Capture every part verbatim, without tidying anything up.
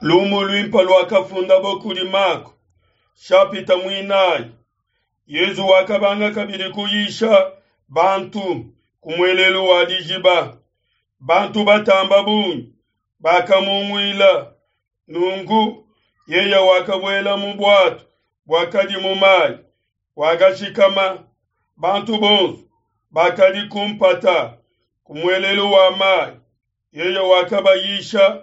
Lumu luimpe luakafundabo kudi Mako, shapita muinayi. Yezu wakabanga kabidi kuyisha bantu ku muelelu wa dijiba. Bantu batamba bungi bakamunguila. Nunku yeye wakabuela mu buatu buakadi mu mayi, wakashikama. Bantu bonso bakadi ku mpata ku muelelu wa mayi. Yeye wakabayisha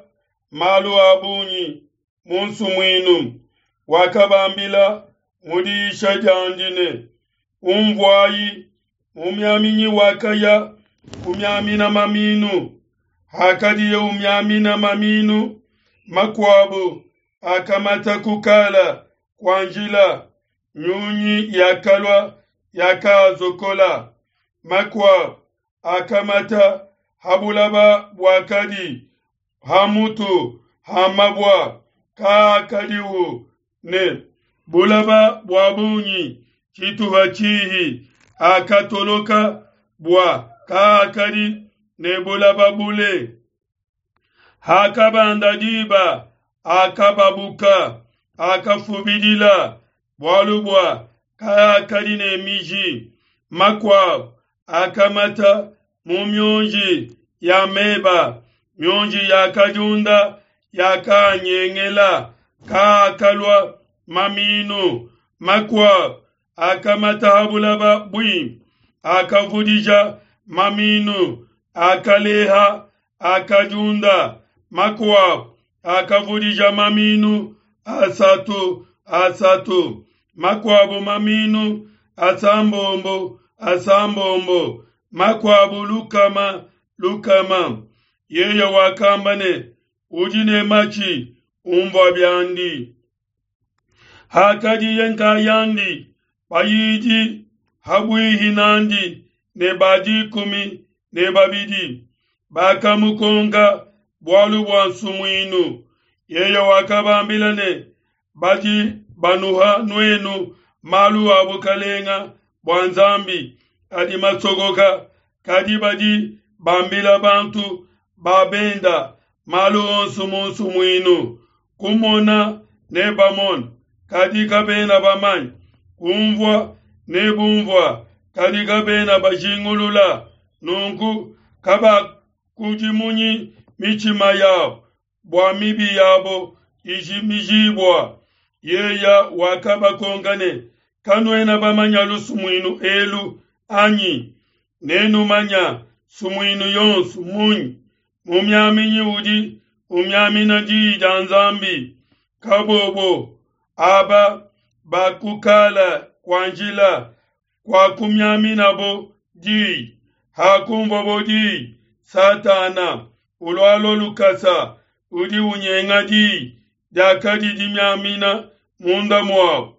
malu a bungi mu nsumuinu. Wakabambila mu diyisha diandi ne, Unvuayi, mumiaminyi wakaya kumiamina maminu. Hakadiye umiamina maminu, makuabo akamata kukala kua njila, nyunyi yakalua yakazokola. Makuabo akamata ha bulaba buakadi ha mutu ha mabua, kaakadihu ne bulaba bua bungi tshituha tshihi, akatoloka bua kaakadi ne bulaba bule. Hakabanda diba, akababuka, akafubidila, bualu bua kaakadi ne miji. Makuabo akamata mu mionji ya meba, mionji yakadiunda, yakanyengela, kaakalua maminu. Makuabo akamata ha bulaba buimpe, akavudija maminu, akaleha, akadiunda. Makuabo akavudija maminu asatu asatu, makuabo maminu asambombo asambombo, makuabo lukama lukama. Yeye wakamba ne, udi ne matshi unvua biandi. Hakadiye nkayandi, bayidi habuihi nandi ne ba dikumi ne babidi bakamukonka bualu bua nsumuinu. Yeye wakabambila ne, badi banuha nuenu malu a bukalenga bua Nzambi adi masokoka, kadi badi bambila bantu ba benda malu onso mu nsumuinu. Kumona nebamone, kadi kabena bamanye; kunvua nebunvua, kadi kabena bajingulula. Nunku kabakudimunyi mitshima yabo bua mibi yabo ijimijibua. Yeye wakabakonka ne, kanuena bamanya lusumuinu elu anyi? Nenumanya nsumuinu yonso munyi? Mumiaminyi udi umiamina diyi dia Nzambi. Kabobo aba bakukala kua njila kuakumiaminabo diyi. Hakunvuabo diyi, Satana ulualua lukasa, udi unyenga diyi diakadi dimiamina munda muabo.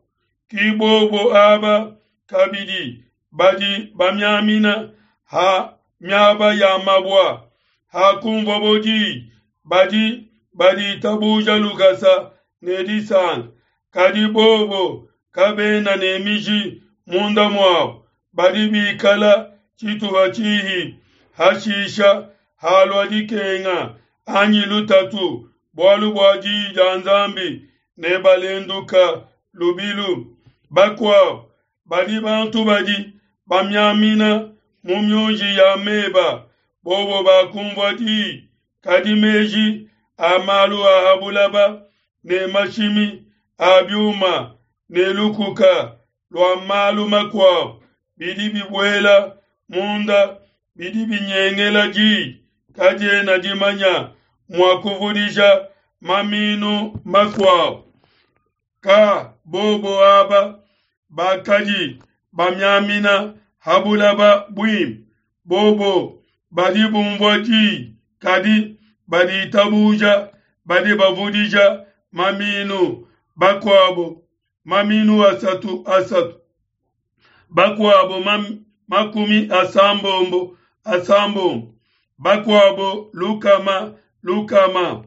Ki bobo aba kabidi badi bamiamina ha miaba ya mabua. Hakunvuabo diyi, badi baditabuja lukasa ne disanka, kadi bobo kabena ne miji munda muabo, badi bikala tshituha tshihi. Hashisha halua dikenga anyi lutatu bualu bua diyi dia Nzambi, ne balenduka lubilu. Bakuabo badi bantu badi bamiamina mu mionji ya meba, bobo bakunvua diyi, kadi meji a malu a ha bulaba ne mashimi a biuma ne lukuka lua malu makuabo bidi bibuela munda, bidi binyengela diyi, kadiena dimanya mua kuvudija maminu makuabo. Ka bobo aba bakadi bamiamina ha bulaba buimpe, bobo badi bunvua diyi, kadi baditabuja, badi bavudija maminu bakuabo maminu asatu asatu, bakuabo mam, makumi asambombo asambombo, bakuabo lukama lukama.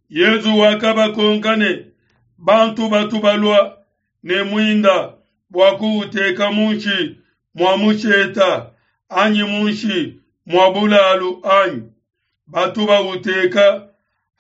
Yezu wakabakonka ne, bantu batu balua ne muinda bua kuuteka munshi mua musheta anyi munshi mua bulalu anyi? Batu bauteka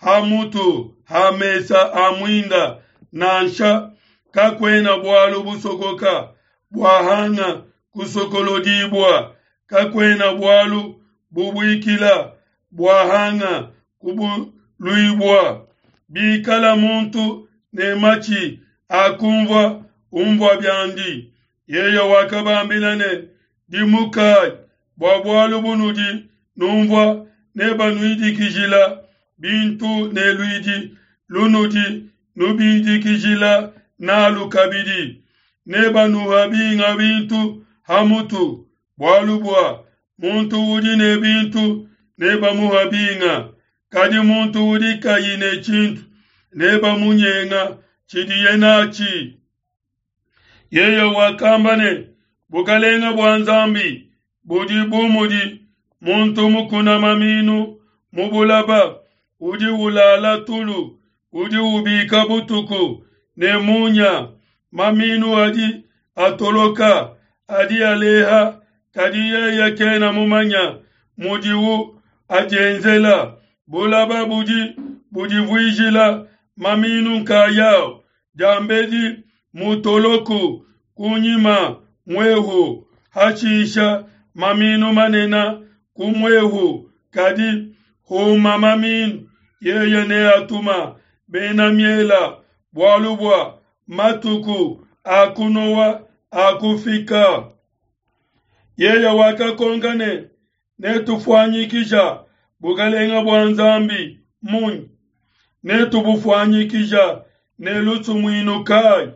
ha mutu ha mesa a muinda nansha. Kakuena bualu busokoka buahanga kusokolodibua, kakuena bualu bubuikila buahanga kubuluibua. Bikala muntu ne matshi a kunvua, unvua biandi. Yeye wakabambila ne, Dimukai, bua bualu bunudi nunvua nebanuidikijila bintu ne luidi lunudi nubidikijila nalu kabidi. Nebanuha binga bintu ha mutu, bualu bua muntu udi ne bintu nebamuha binga, kadi muntu udi kayi ne tshintu nebamunyenga tshidiye natshi. Yeye wakamba ne, Bukalenga bua Nzambi budi bu mudi muntu mukuna maminu mu bulaba, udi ulala tulu, udi ubika butuku ne munya, maminu adi atoloka, adi aleha, kadi yeye kena mumanya mudiwu adienzela. Bulaba budi budivuijila maminu nkayao, diambedi mutoloku, kunyima muehu, hashisha maminu manene ku muehu. Kadi huma maminu, yeye neatuma bena miela, bualu bua matuku a kunowa akufika. Yeye wakakonka ne, Netufuanyikija bukalenga bua Nzambi munyi? Netubufuanyikija ne lusumuinu kayi?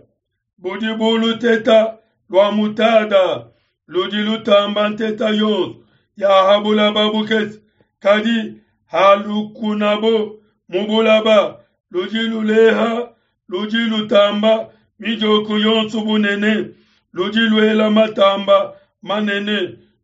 Budi bu luteta lua mutada ludi lutamba nteta yonso ya ha bulaba bukese, kadi halukunabo mu bulaba, ludi luleha, ludi lutamba midioko yonso bunene, ludi luela matamba manene.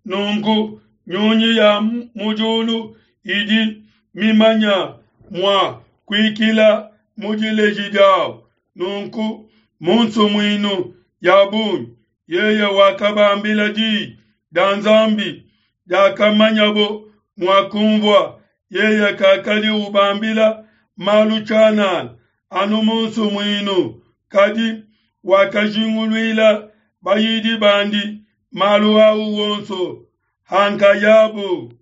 Nunku nyunyi ya mu diulu idi mimanya mua kuikila mu dileji diawu. Nunku mu nsumuinu ya bungi yeye wakabambila diyi dia Nzambi diakamanyabo mua kunvua. Yeye kakadi ubambila malu tshianana anu mu nsumuinu, kadi wakajinguluila bayidi bandi malu au wonso hankayabo.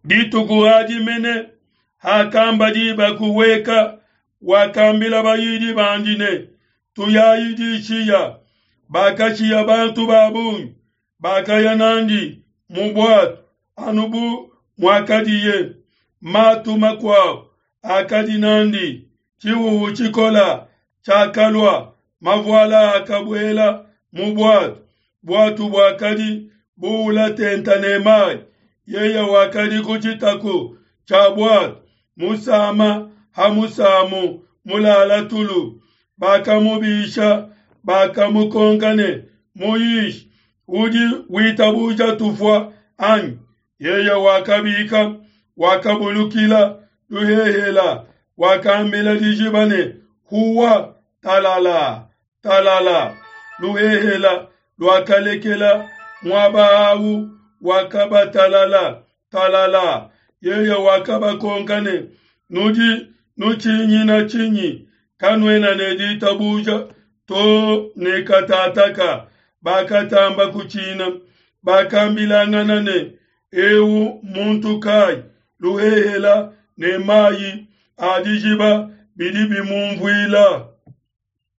Dituku adi mene hakamba diba kuhueka, wakambila bayidi bandi ne, Tuyayi dishiya. Bakashiya bantu ba bungi, bakaya nandi mu buatu anu bu muakadiye. Matu makuabo akadi nandi. Tshihuhu tshikola tshiakalua, mavuala akabuela mu buatu, buatu buakadi buula tenta ne mai. Yeye wakadi ku tshitaku tshia buatu, musama ha musamu, mulala tulu. Bakamubisha, bakamukonka ne, Muyishi, udi witabuja tufua anyi? Yeye wakabika, wakabulukila luhehela, wakambila dijiba ne, Huwa, talala, talala. Luhehela luakalekela muaba au, wakabatalala, talala. Yeye wakabakonka ne, Nudi nutshinyina tshinyi? Kanuena ne ditabuja to ne katataka? Bakatamba kutshina, bakambilangana ne, Eu muntu kai? Luhehela ne mai a dijiba bidi bimunvuila.